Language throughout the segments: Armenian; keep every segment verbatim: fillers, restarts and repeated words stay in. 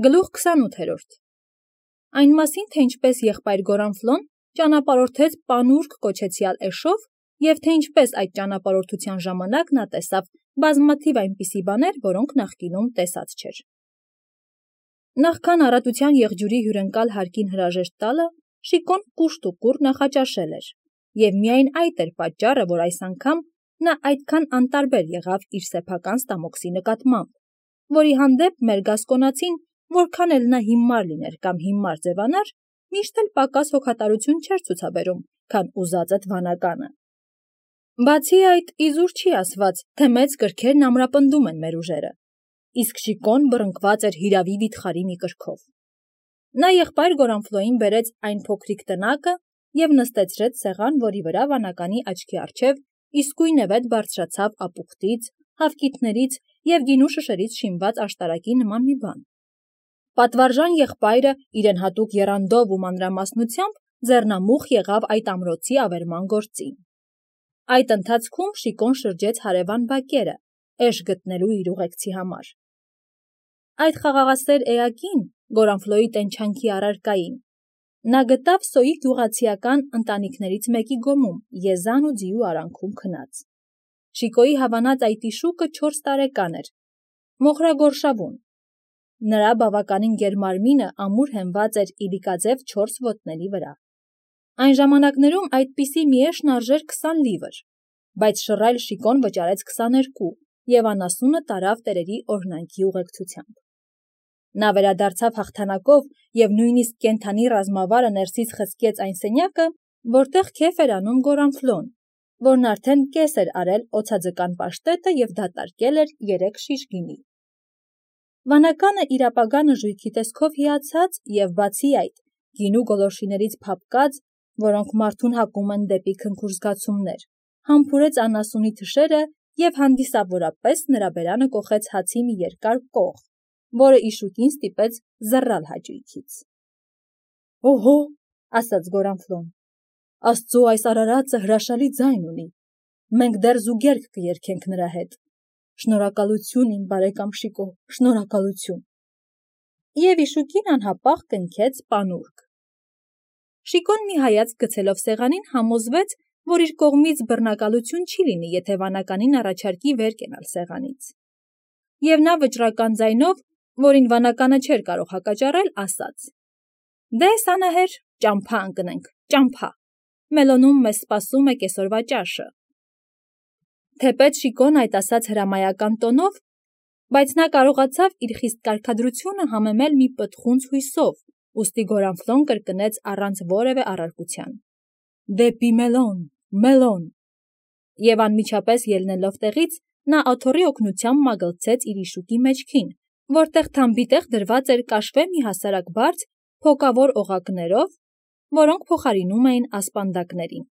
Գլուխ քսանութերորդ Այն մասին, թե ինչպես եղբայր Գորանֆլոն ճանապարհորդեց Պանուրք կոչեցյալ էշով և թե ինչպես այդ ճանապարհորդության ժամանակ նա տեսավ բազմաթիվ այնպիսի բաներ, որոնք նախկինում տեսած չէր։ Նախքան առատության եղջյուրի հյուրընկալ հարկին հրաժեշտ տալը, Շիկոն կուշտ ու կուռ նախաճաշել էր, և միայն այդ էր պատճառը, որ այս անգամ նա այդքան անտարբեր եղավ իր սեփական ստամոքսի նկատմամբ, որի հանդեպ մեր գասկոնացին, որքան էլ նա հիմար լիներ կամ հիմար ձևանար, միշտ էլ պակաս հոգատարություն չէր ցուցաբերում, քան ուզածդ վանականը։ Բացի այդ, իզուր չի ասված, թե մեծ կրքերն ամրապնդում են մեր ուժերը, իսկ Շիկոն բռնկված էր հիրավի վիթխարի մի կրքով։ Նա եղբայր Գորանֆլոյին բերեց այն փոքրիկ տնակը և նստեցրեց սեղան, որի վրա վանականի աչքի առջև իսկույնևեթ բարձրացավ ապուխտից, հավկիթներից և գինու շշերից շինված աշտարակի նման մի բան։ Պատվարժան եղբայրը իրեն հատուկ եռանդով ու մանրամասնությամբ ձեռնամուխ եղավ այդ ամրոցի ավերման գործին։ Այդ ընթացքում Շիկոն շրջեց հարևան բակերը, էշ գտնելու իր ուղեկցի համար։ Այդ խաղաղասեր էակին, Գորանֆլոյի տենչանքի առարկային, նա գտավ Սոյի գյուղացիական ընտանիքներից մեկի գոմում, եզան ու ձիու արանքում քնած։ Շիկոյի հավանած այտիշուկը չորս տարեկան էր, մոխրագորշավուն։ Նրա բավականին գերմարմինը ամուր հենված էր իլիկաձև չորս ոտների վրա։ Այն ժամանակներում այդպիսի մի էշն արժեր քսան լիվր, բայց շռայլ Շիկոն վճարեց քսաներկու և անասունը տարավ տերերի օրհնանքի ուղեկցությամբ։ Նա վերադարձավ հաղթանակով և նույնիսկ կենդանի ռազմավարը ներսից խցկեց այն սենյակը, որտեղ քեֆ էր անում Գորանֆլոն, որն արդեն կես էր արել օձաձկան պաշտետը և դատարկել էր երեք շիշ գինի։ Վանականը իր ապագա նժույգի տեսքով հիացած և բացի այդ, գինու գոլորշիներից փափկած, որոնք մարդուն հակում են դեպի քնքուշ զգացումներ, համբուրեց անասունի թշերը և հանդիսավորապես նրա բերանը կոխեց հացի մի երկար կող, որը Իշուկին ստիպեց զռալ հաճույքից։ «Օհո», ասաց Գորանֆլոն, «աստծո այս արարածը հրաշալի ձայն ունի, մենք դեռ զուգերգ կերգենք նրա հետ, շնորհակալություն իմ բարեկամ Շիկո, շնորհակալություն»։ Եվ Իշուկին անհապաղ կնքեց Պանուրք։ Շիկոն մի հայացք գցելով սեղանին համոզվեց, որ իր կողմից բռնակալություն չի լինի, եթե վանականին առաջարկի վեր կենալ սեղանից։ Եվ նա վճռական ձայնով, որին վանականը չէր կարող հակաճառել, ասաց. «Դե, Սանահեր, ճամփա ընկնենք, ճամփա, Մելոնում մեզ սպասում է կեսօրվա ճաշը»։ Թեպետ Շիկոն այդ ասաց հրամայական տոնով, բայց նա կարողացավ իր խիստ կարգադրությունը համեմել մի պտղունց հույսով, ուստի Գորանֆլոն կրկնեց առանց որևէ առարկության. «Դեպի Մելոն, Մելոն»։ Եվ անմիջապես ելնելով տեղից, նա աթոռի օգնությամբ մագլցեց իր Իշուկի մեջքին, որտեղ թամբիտեղ դրված էր կաշվե մի հասարակ բարձ փոկավոր օղակներով, որոնք փոխարինում էին ասպանդակներին։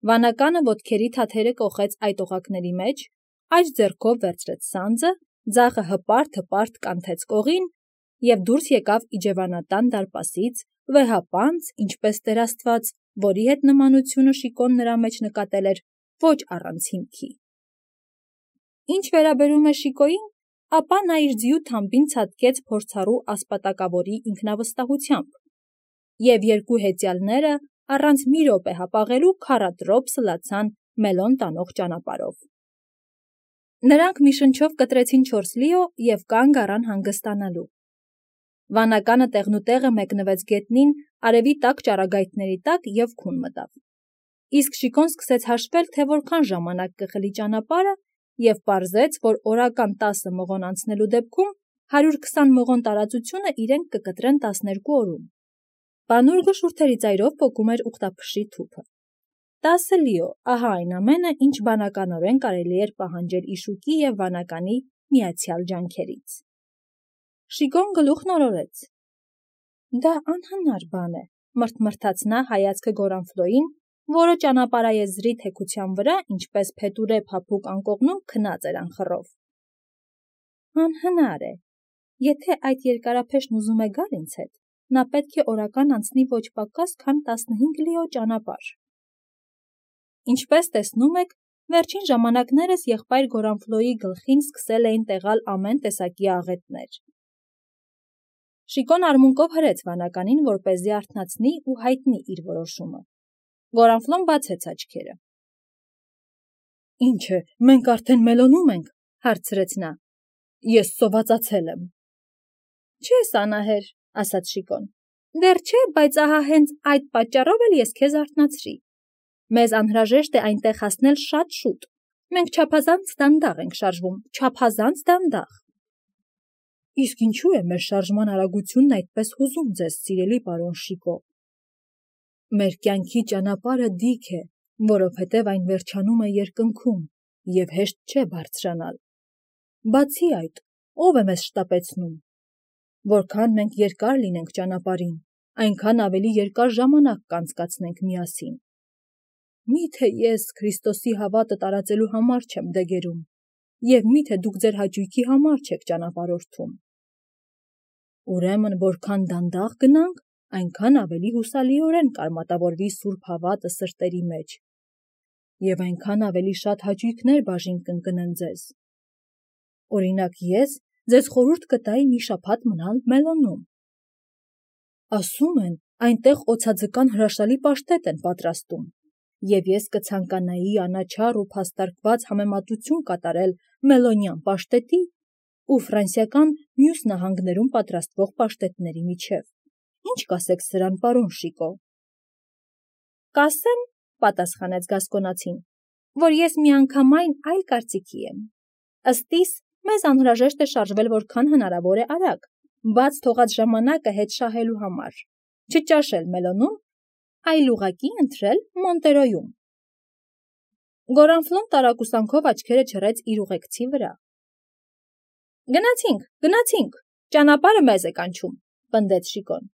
Վանականը ոտքերի թաթերը կոխեց այդ օղակների մեջ, աջ ձեռքով վերցրեց սանձը, ձախը հպարտ-հպարտ կանթեց կողին և դուրս եկավ իջևանատան դարպասից, վեհապանծ, ինչպես Տեր Աստված, որի հետ նմանությունը Շիկոն նրա մեջ նկատել էր ոչ առանց հիմքի։ Ինչ վերաբերում է Շիկոյին, ապա նա իր ձիու թամբին ցատկեց փորձառու ասպատակավորի ինքնավստահությամբ, և երկու հեծյալները առանց մի րոպե հապաղելու քառատրոփ սլացան Մելոն տանող ճանապարհով։ Նրանք մի շնչով կտրեցին չորս լիո և կանգ առան հանգստանալու։ Վանականը տեղնուտեղը մեկնվեց գետնին արևի տաք ճառագայթների տակ և քուն մտավ։ Իսկ Շիկոն սկսեց հաշվել, թե որքան ժամանակ կխլի ճանապարհը և պարզեց, որ օրական տասը մղոն անցնելու դեպքում հարյուր քսան մղոն տարածությունը իրենք կկտրեն տասներկու օրում։ Պանուրգը շուրթերի ծայրով պոկում էր ուխտափշի թուփը։ Տասը լիո, ահա այն ամենը, ինչ բանականորեն կարելի էր պահանջել Իշուկի և վանականի միացյալ ջանքերից։ Շիկոն գլուխն օրորեց։ Դա անհնար բան է, մռթմռթաց նա հայացքը Գորանֆլոյին, որը ճանապարհաեզրի թեքության վրա, ինչպես փետուրե փափուկ անկողնում, քնած էր անխռով։ Անհնար է, եթե այդ երկարափեշն ուզում է գալ ինձ հետ, նա պետք է օրական անցնի ոչ պակաս, քան տասնհինգ լիո ճանապարհ։ Ինչպես տեսնում եք, վերջին ժամանակներս եղբայր Գորանֆլոյի գլխին սկսել էին տեղալ ամեն տեսակի աղետներ։ Շիկոն արմունկով հրեց վանականին, որպեսզի արթնացնի ու հայտնի իր որոշումը։ Գորանֆլոն բացեց աչքերը։ Ինչ է, մենք արդեն մելոնում ենք, հարցրեց նա։ Ես սովածացել եմ։ Չես անահեր, ասաց Շիկոն։ Դեռ չէ, բայց ահա հենց այդ պատճառով էլ ես քեզ արթնացրի։ Մեզ անհրաժեշտ է այնտեղ հասնել շատ շուտ։ Մենք չափազանց դանդաղ ենք շարժվում, չափազանց դանդաղ։ Իսկ ինչու է մեր շարժման արագությունն այդպես հուզում ձեզ, սիրելի պարոն Շիկո։ Մեր կյանքի ճանապարհը դիք է, որովհետև այն վերջանում է երկնքում, եւ հեշտ չէ բարձրանալ։ Բացի այդ, ով է մեզ շտապեցնում։ Որքան մենք երկար լինենք ճանապարհին, այնքան ավելի երկար ժամանակ կանցկացնենք միասին։ Միթե ես Քրիստոսի հավատը տարածելու համար չեմ դեգերում, եւ միթե դուք ձեր հաճույքի համար չեք ճանապարհորդում։ Ուրեմն որքան դանդաղ գնանք, այնքան ավելի հուսալիորեն կարմատավորվի սուրբ հավատը սրտերի մեջ, եւ այնքան ավելի շատ հաճույքներ բաժին կընկնեն ձեզ։ Օրինակ ես ձեզ խորհուրդ կտայի մի շաբաթ մնալ Մելոնում։ Ասում են, այնտեղ օձաձկան հրաշալի պաշտետ են պատրաստում, եւ ես կցանկանայի անաչառ ու փաստարկված համեմատություն կատարել մելոնյան պաշտետի ու ֆրանսիական մյուս նահանգներում պատրաստվող պաշտետների միջև։ Ինչ կասեք սրան, պարոն Շիկո։ Կասեմ, պատասխանեց Գասկոնացին, որ ես միանգամայն այլ կարծիքի եմ։ Ըստ իս, մեզ անհրաժեշտ է շարժվել որքան հնարավոր է արագ, բաց թողած ժամանակը հետ շահելու համար, չճաշել Մելոնում, այլ ուղղակի ընտրել Մոնտերոյում։ Գորանֆլոն տարակուսանքով աչքերը չռեց իր ուղեկցի վրա։ Գնացինք, գնացինք, ճանապարհը մեզ է կանչում, պնդեց Շիկոն։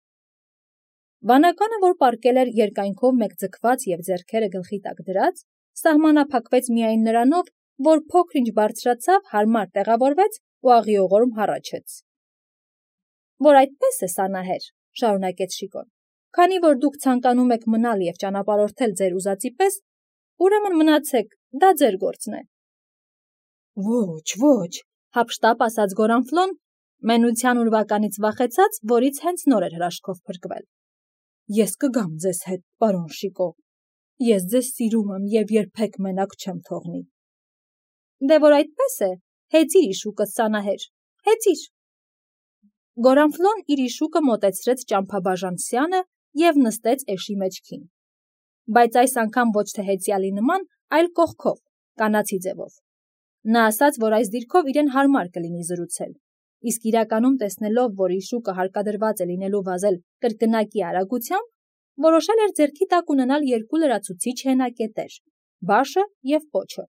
Վանականը, որ պառկել էր երկայնքով մեկ ձգված եւ ձեռքերը գլխի տակ դրած, սահմանափակվեց միայն նրանով, որ փոքր-ինչ բարձրացավ, հարմար տեղավորվեց ու աղիողորմ հառաչեց։ Որ այդպես է, սանահեր, շարունակեց Շիկոն, քանի որ դուք ցանկանում եք մնալ եւ ճանապարհորդել ձեր ուզածի պես, ուրեմն մնացեք, դա ձեր գործն է։ Ոչ, ոչ, հապշտապ ասաց Գորանֆլոն, մենության ուրվականից վախեցած, որից հենց նոր էր հրաշքով փրկվել։ Ես կգամ ձեզ հետ, պարոն Շիկո։ Ես ձեզ սիրում եմ եւ երբեք մենակ չեմ թողնի։ Դե որ այդպես է, հեծիր իշուկը, սանահեր, հեծիր։ Գորանֆլոն իր իշուկը մոտեցրեց ճամփաբաժան սյանը եւ նստեց էշի մեջքին։ Բայց այս անգամ ոչ թե հեծյալի նման, այլ կողքով, կանացի ձևով։ Նա ասաց, որ այս դիրքով իրեն հարմար կլինի զրուցել, իսկ իրականում տեսնելով, որ իշուկը հարկադրված է լինելու վազել կրկնակի արագությամբ, որոշել էր ձեռքի տակ ունենալ երկու լրացուցիչ հենակետեր՝ բաշը եւ պոչը։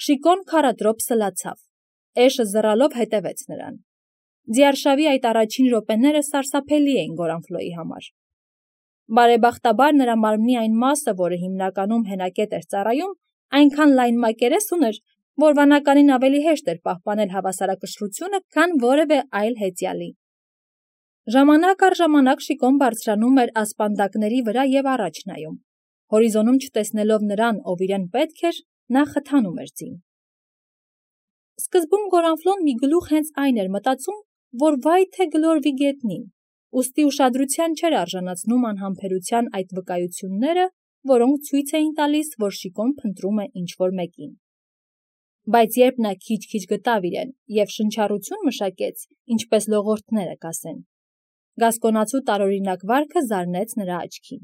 Շիկոն քարադրոպ սլացավ, էշը զռալով հետևեց նրան։ Ձիարշավի այդ առաջին րոպեները սարսափելի էին Գորանֆլոյի համար։ Բարեբախտաբար նրա մարմնի այն մասը, որը հիմնականում հենակետ էր ծառայում, այնքան լայն մակերես ուներ, որ վանականին ավելի հեշտ էր պահպանել հավասարակշռությունը, քան որևէ այլ հեծյալի։ Ժամանակ առ ժամանակ Շիկոն բարձրանում էր ասպանդակների վրա եւ առաջ նայում։ Հորիզոնում չտեսնելով նրան, ով իրեն պետք էր, նա խթանում էր ձին։ Սկզբում Գորանֆլոն մի գլուխ հենց այն էր մտածում, որ վայ թե գլորվի գետնին, ուստի ուշադրության չէր արժանացնում անհամբերության այդ վկայությունները, որոնք ցույց էին տալիս, որ Շիկոն փնտրում է ինչ-որ մեկին։ Բայց երբ նա քիչ-քիչ գտավ իրեն եւ շնչառություն մշակեց, ինչպես լողորդները կասեն, գասկոնացու տարօրինակ վարքը զարնեց նրա աչքին։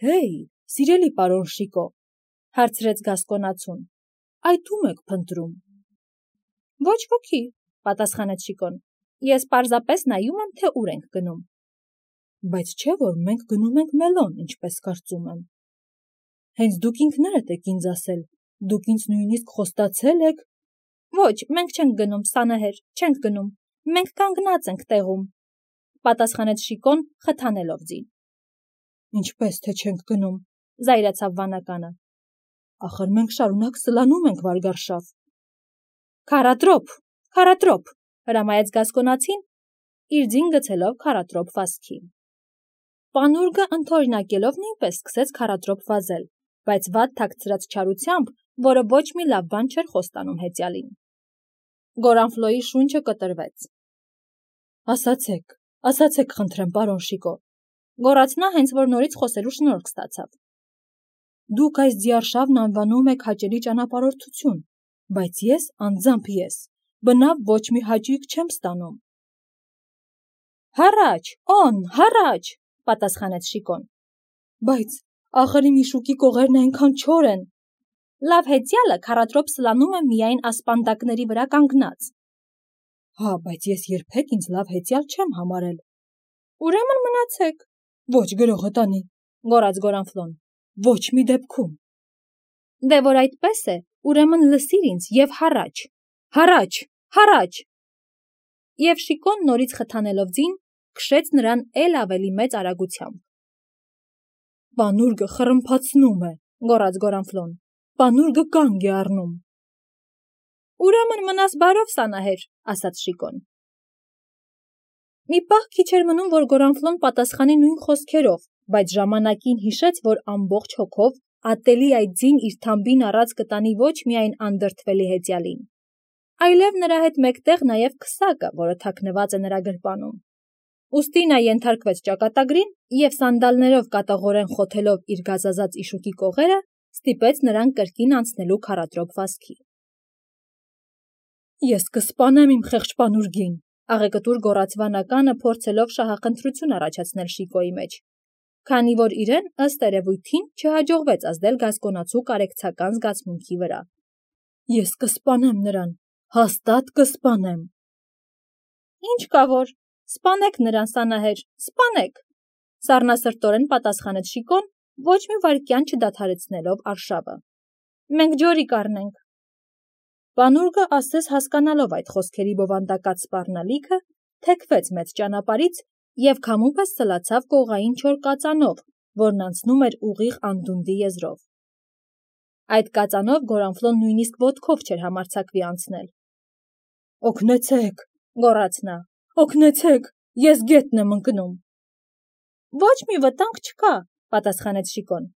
Հեյ, սիրելի պարոն Շիկո, հարցրեց գասկոնացուն, այդ ում եք փնտրում։ Ոչ ոքի, պատասխանեց Շիկոն, ես պարզապես նայում եմ, թե ուր ենք գնում։ Բայց չէ՞ որ մենք գնում ենք Մելոն, ինչպես կարծում եմ։ Հենց դուք ինքներդ եք ինձ ասել, դուք ինձ նույնիսկ խոստացել եք։ Ոչ, մենք չենք գնում, սանահեր, չենք գնում, մենք կանգնած ենք տեղում, պատասխանեց Շիկոն, խթանելով ձին։ Ինչպես թե չենք գնում, զայրացավ վանականը։ Ախր մենք շարունակ սլանում ենք վարգարշավ։ Քարատրոպ, քարատրոպ, հրամայեց գասկոնացին, իր ձին գցելով քարատրոպ վազքի։ Պանուրգը ընդօրինակելով նույնպես սկսեց քարատրոպ վազել, բայց վատ թաքցրած չարությամբ, որը ոչ մի լավ բան չէր խոստանում հեծյալին։ Գորանֆլոյի շունչը կտրվեց։ Ասացեք, ասացեք խնդրեմ, պարոն Շիկո, գոռաց նա, հենց որ նորից խոսելու շնորհք ստացավ։ Դուք այս ձիարշավն անվանում եք հաճելի ճանապարհորդություն, բայց ես, անձամբ ես, բնավ ոչ մի հաճույք չեմ ստանում։ Հառաչ, օն, հառաչ, պատասխանեց Շիկոն։ Բայց ախր իմ իշուկի կողերն այնքան չոր են։ Լավ հեծյալը քառատրոպ սլանում է միայն ասպանդակների վրա կանգնած։ Հա, բայց ես երբեք ինձ լավ հեծյալ չեմ համարել։ Ուրեմն մնացեք։ Ոչ գրողը տանի, գոռաց Գորանֆլոն։ Ոչ մի դեպքում։ Դե որ այդպես է, ուրեմն լսիր ինձ եւ հառաչ, հառաչ, հառաչ։ Եվ Շիկոն նորից խթանելով ձին, քշեց նրան էլ ավելի մեծ արագությամբ։ Պանուրգը խռմփացնում է, գոռաց Գորանֆլոն։ Պանուրգը կանգ է առնում։ Ուրեմն մնաս բարով, Սանահեր, ասաց Շիկոն։ Մի պահ քիչ էր մնում, որ Գորանֆլոն պատասխանի նույն խոսքերով, բայց ժամանակին հիշեց, որ ամբողջ հոգով ատելի այդ ձին իր թամբին առած կտանի ոչ միայն անդրդվելի հեծյալին, այլև նրա հետ մեկտեղ նաև քսակը, որը թաքնված է նրա գրպանում։ Ուստի նա ենթարկվեց ճակատագրին և սանդալներով կատաղորեն խոթելով իր գազազած իշուկի կողերը, ստիպեց նրան կրկին անցնելու քառատրոպ վազքի։ Ես կսպանեմ իմ խեղճ պանուրգին, աղեկտուր գոռաց վանականը, փորձելով շահախնդրություն առաջացնել Շիկոյի մեջ, քանի որ իրեն ըստ երևույթին չհաջողվեց ազդել գասկոնացու կարեկցական զգացմունքի վրա։ Ես կսպանեմ նրան, հաստատ կսպանեմ։ Ինչ կա որ, սպանեք նրան, Սանահեր, սպանեք, սառնասրտորեն պատասխանեց Շիկոն, ոչ մի վայրկյան չդադարեցնելով արշավը։ Մենք ջորի կառնենք։ Պանուրգը ասես հասկանալով այդ խոսքերի բովանդակած սպառնալիքը, թեքվեց մեծ ճանապարհից և քամուպես սլացավ կողային չոր կածանով, որն անցնում էր ուղիղ անդունդի եզրով։ Այդ կածանով Գորանֆլոն նույնիսկ ոտքով չէր համարձակվի անցնել։ Օգնեցեք, գոռաց նա, օգնեցեք, ես գետն եմ ընկնում։ Ոչ մի վտանգ չկա, պատասխանեց Շիկոն։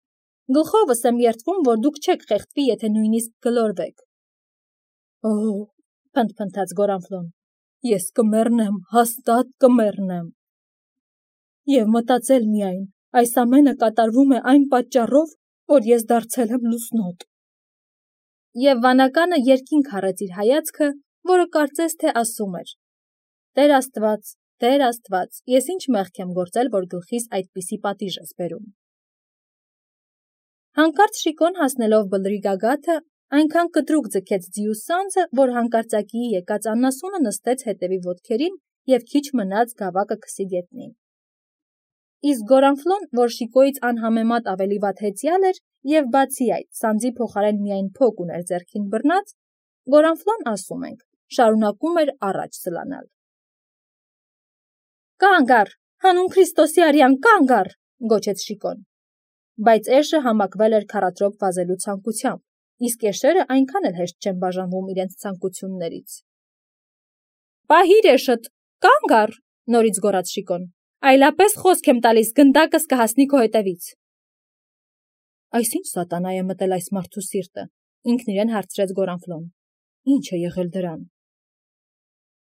Գլխովս եմ երդվում, որ դուք չեք խեղդվի, եթե նույնիսկ գլորվեք։ Օ, փնթփնթաց Գորանֆլոն, ես կմեռնեմ, հաստատ կմեռնեմ։ Եվ մտածել միայն, այս ամենը կատարվում է այն պատճառով, որ ես դարձել եմ լուսնոտ։ Եվ վանականը երկինք հառեց իր հայացքը, որը կարծես թե ասում էր. Տեր Աստված, Տեր Աստված, ես ինչ մեղք եմ գործել, որ գլխիս այդպիսի պատիժ ես բերում։ Հանկարծ Շիկոն հասնելով բլրի գագաթը, այնքան կտրուկ ձգեց ձիու սանձը, որ հանկարծակիի եկած աննասունը նստեց հետևի ոտքերին և քիչ մնաց գավակը քսի գետնին։ Իսկ Գորանֆլոն, որ Շիկոյից անհամեմատ ավելի վատ հեծյալ էր և բացի այդ, սանձի փոխարեն միայն փոք ուներ ձեռքին բռնած, Գորանֆլոն, ասում ենք, շարունակում էր առաջ սլանալ։ Կանգ առ, հանուն Քրիստոսի արյան, կանգ առ, գոչեց Շիկոն։ Բայց էշը համակվել էր քառատրոպ վազելու ցանկությամբ, իսկ էշերը այնքան էլ հեշտ չեն բաժանվում իրենց ցանկություններից։ Պահիր էշդ, կանգ առ, նորից գոռաց Շիկոն, այլապես խոսք եմ տալիս, գնդակս կհասնի քո հետևից։ Այսինչ սատանա է մտել այս մարդու սիրտը, ինքն իրեն հարցրեց Գորանֆլոն։ Ինչ է եղել դրան։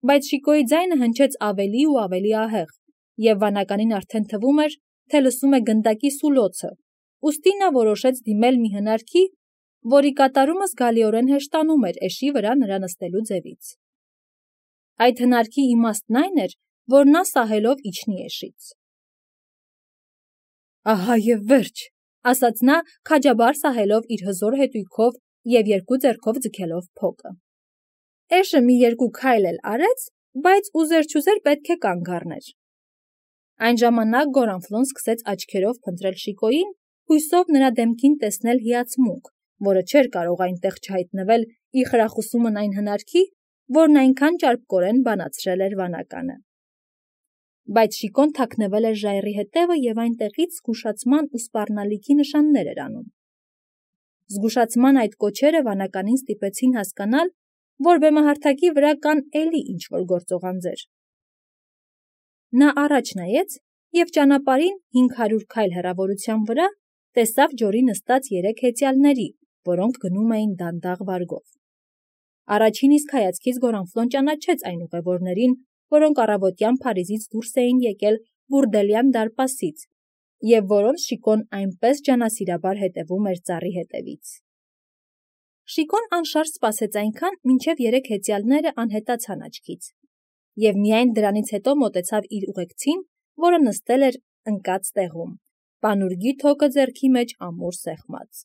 Բայց Շիկոյի ձայնը հնչեց ավելի ու ավելի ահեղ, և վանականին արդեն թվում էր, թե լսում է գնդակի սուլոցը, ուստի նա որոշեց դիմել մի հնարքի, որի կատարումը զգալիորեն հեշտանում էր էշի վրա նրա նստելու ձևից։ Այդ հնարքի իմաստն այն էր, որ նա սահելով իջնի էշից։ Ահա և վերջ, ասաց նա, քաջաբար սահելով իր հզոր հետույքով և երկու ձեռքով ձգելով փոկը։ Էշը մի երկու քայլ էլ արեց, բայց ուզեր-չուզեր պետք է կանգ առներ։ Այն ժամանակ Գորանֆլոն սկսեց աչքերով փնտրել Շիկոյին, հույսով նրա դեմքին տեսնել հիացմունք, որը չէր կարող այնտեղ չհայտնվել ի խրախուսումն այն հնարքի, որն այնքան ճարպկորեն բանացրել էր վանականը։ Բայց Շիկոն թաքնվել էր ժայռի հետևը և այնտեղից զգուշացման ու սպառնալիքի նշաններ էր անում։ Զգուշացման այդ կոչերը վանականին ստիպեցին հասկանալ, որ բեմահարթակի վրա կան էլի ինչ-որ գործողանձեր։ Նա առաջ նայեց և ճանապարհին հինգ հարյուր քայլ հեռավորության վրա տեսավ ջորի նստած երեք հեծյալների, որոնք գնում էին դանդաղ վարգով։ Առաջին իսկ հայացքից Գորանֆլոն ճանաչեց այն ուղևորներին, որոնք առավոտյան Փարիզից դուրս էին եկել Բուրդելյան դարպասից, և որոնց Շիկոն այնպես ջանասիրաբար հետևում էր ծառի հետևից։ Շիկոն անշարժ սպասեց այնքան, մինչև երեք հեծյալները անհետացան աչքից, և միայն դրանից հետո մոտեցավ իր ուղեկցին, որը նստել էր ընկած տեղում, պանուրգի թոկը ձեռքի մեջ ամուր սեղմած։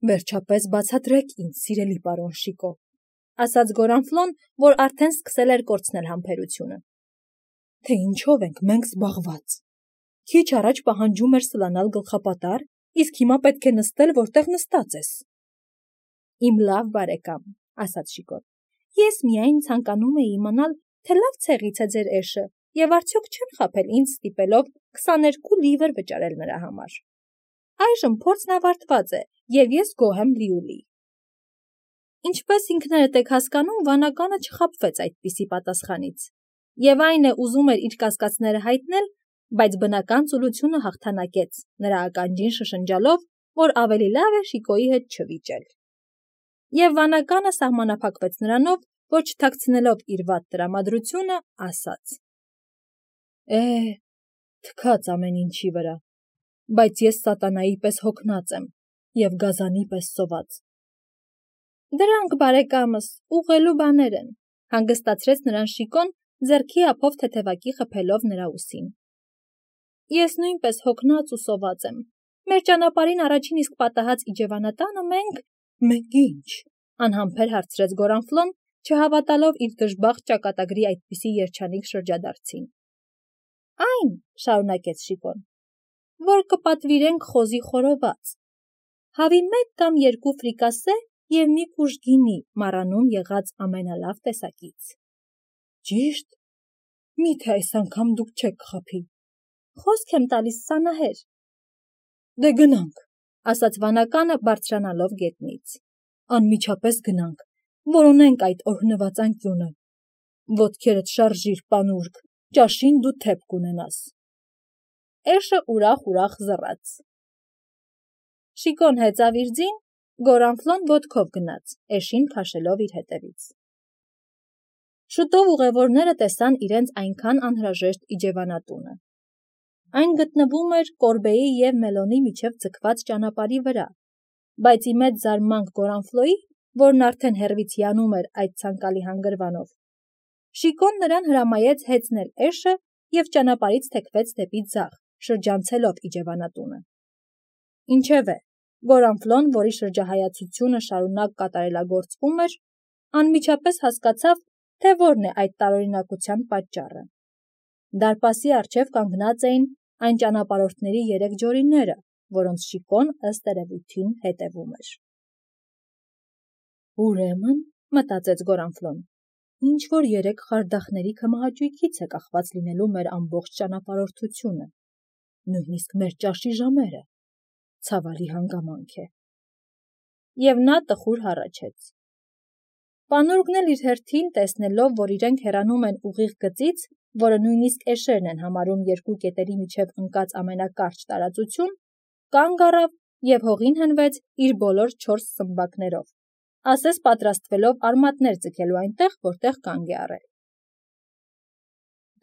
«Վերջապես բացատրեք ինձ, սիրելի պարոն Շիկո», ասաց Գորանֆլոն, որ արդեն սկսել էր կորցնել համբերությունը, թե ինչով ենք մենք զբաղված։ Քիչ առաջ պահանջում էր սլանալ գլխապատար, իսկ հիմա պետք է նստել, որտեղ նստած ես։ Իմ լավ բարեկամ, ասաց Շիկոն, ես միայն ցանկանում էի իմանալ, թե լավ ցեղից է ձեր էշը, և արդյոք չեմ խաբել ինձ ստիպելով քսաներկու լիվր վճարել նրա համար։ Այժմ փորձն ավարտված է, և ես գոհ եմ լիուլի։ Ինչպես ինքներդ եք հասկանում, վանականը չխաբվեց այդպիսի պատասխանից, և այն է ուզում էր իր կասկածները հայտնել, բայց բնական ծուլությունը հաղթանակեց, նրա ականջին շշնջալով, որ ավելի լավ է Շիկոյի հետ չվիճել։ Եվ վանականը սահմանափակվեց նրանով, որ չթաքցնելով իր վատ տրամադրությունը, ասաց. Է, թքած ամեն ինչի վրա, բայց ես սատանայի պես հոգնած եմ և գազանի պես սոված։ Դրանք, բարեկամս, ուղղելու բաներ են, հանգստացրեց նրան Շիկոն, ձեռքի ափով թեթևակի խփելով նրա ուսին։ Ես նույնպես հոգնած ու սոված եմ։ Մեր ճանապարհին առաջին իսկ պատահած իջևանատանը մենք… Մենք ի՞նչ, անհամբեր հարցրեց Գորանֆլոն, չհավատալով իր դժբախտ ճակատագրի այդպիսի երջանիկ շրջադարձին։ Այն, շարունակեց Շիկոն, որ կպատվիրենք խոզի խորոված, հավի մեկ կամ երկու ֆրիկասե և մի կուժ գինի մառանում եղած ամենալավ տեսակից։ Ճիշտ, միթե այս անգամ դուք չեք կխաբի։ Խոսք եմ տալիս, սանահեր։ Դե գնանք, ասաց վանականը բարձրանալով գետնից։ Անմիջապես գնանք, որոնենք այդ օրհնված անկյունը։ Ոտքերդ շարժիր, պանուրգ, ճաշին դու թեփ կունենաս։ Էշը ուրախ-ուրախ զռաց։ Շիկոն հեծավ իր ձին, Գորանֆլոն ոտքով գնաց, էշին քաշելով իր հետևից։ Շուտով ուղևորները տեսան իրենց այնքան անհրաժեշտ իջևանատունը։ Այն գտնվում էր Կորբեի և Մելոնի միջև ձգված ճանապարհի վրա, բայց ի մեծ զարմանք Գորանֆլոյի, որն արդեն հեռվից հիանում էր այդ ցանկալի հանգրվանով, Շիկոն նրան հրամայեց հեծնել էշը և ճանապարհից թեքվեց դեպի ձախ, շրջանցելով իջևանատունը։ Ինչևէ, Գորանֆլոն, որի շրջահայացությունը շարունակ կատարելագործվում էր, անմիջապես հասկացավ, թե որն է այդ տարօրինակության պատճառը։ Դարպասի առջև կանգնած էին այն ճանապարհորդների երեք ջորիները, որոնց Շիկոն ըստ երևույթին հետևում էր։ Ուրեմն, մտածեց Գորանֆլոն, ինչ-որ երեք խարդախների քմահաճույքից է կախված լինելու մեր ամբողջ ճանապարհորդությունը, նույնիսկ մեր ճաշի ժամերը, ցավալի հանգամանք է։ Եվ նա տխուր հառաչեց։ Պանուրգն էլ իր հերթին, տեսնելով, որ իրենք հեռանում են ուղիղ գծից, որը նույնիսկ էշերն են համարում երկու կետերի միջև ընկած ամենակարճ տարածություն, կանգ առավ և հողին հենվեց իր բոլոր չորս սմբակներով, ասես պատրաստվելով արմատներ ձգելու այնտեղ, որտեղ կանգ է առել։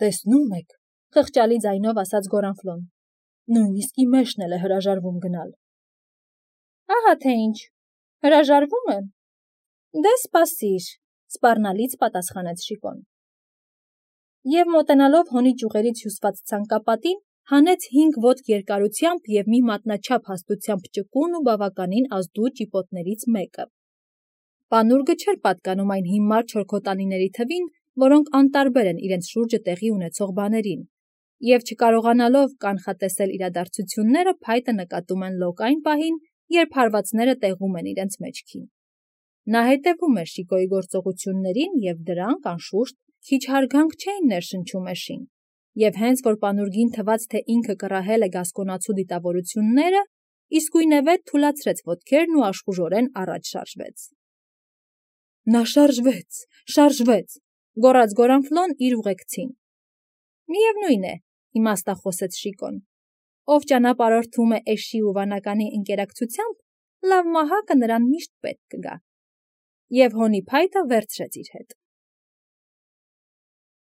Տեսնո՞ւմ եք, խղճալի ձայնով ասաց Գորանֆլոն, նույնիսկ իմ էշն էլ է հրաժարվում գնալ։ Ահա թե ինչ, հրաժարվում է։ Դե սպասիր, սպառնալից պատասխանեց Շիկոն։ Եվ մոտենալով հոնի ճյուղերից հյուսված ցանկապատին, հանեց հինգ ոտք երկարությամբ և մի մատնաչափ հաստությամբ ճկուն ու բավականին ազդու ճիպոտներից մեկը։ Պանուրգը չէր պատկանում այն հիմար չորքոտանիների թվին, որոնք անտարբեր են իրենց շուրջը տեղի ունեցող բաներին, և չկարողանալով կանխատեսել իրադարձությունները, փայտը նկատում են լոկ այն պահին, երբ հարվածները տեղում են իրենց մեջքին։ Նա հետևում էր Շիկոյի գործողություններին, և դրանք, անշուշտ, քիչ հարգանք չէին ներշնչում էշին, և հենց որ պանուրգին թվաց, թե ինքը կռահել է գասկոնացու դիտավորությունները, իսկույնևեթ թուլացրեց ոտքերն ու աշխուժորեն առաջ շարժվեց։ Նա շարժվեց, շարժվեց, գոռաց Գորանֆլոն իր ուղեկցին։ Միևնույն է, իմաստախոսեց Շիկոն, ով ճանապարհորդում է էշի ու վանականի ընկերակցությամբ, լավ մահակը նրան միշտ պետք կգա։ Եվ հոնի փայտը վերցրեց իր հետ։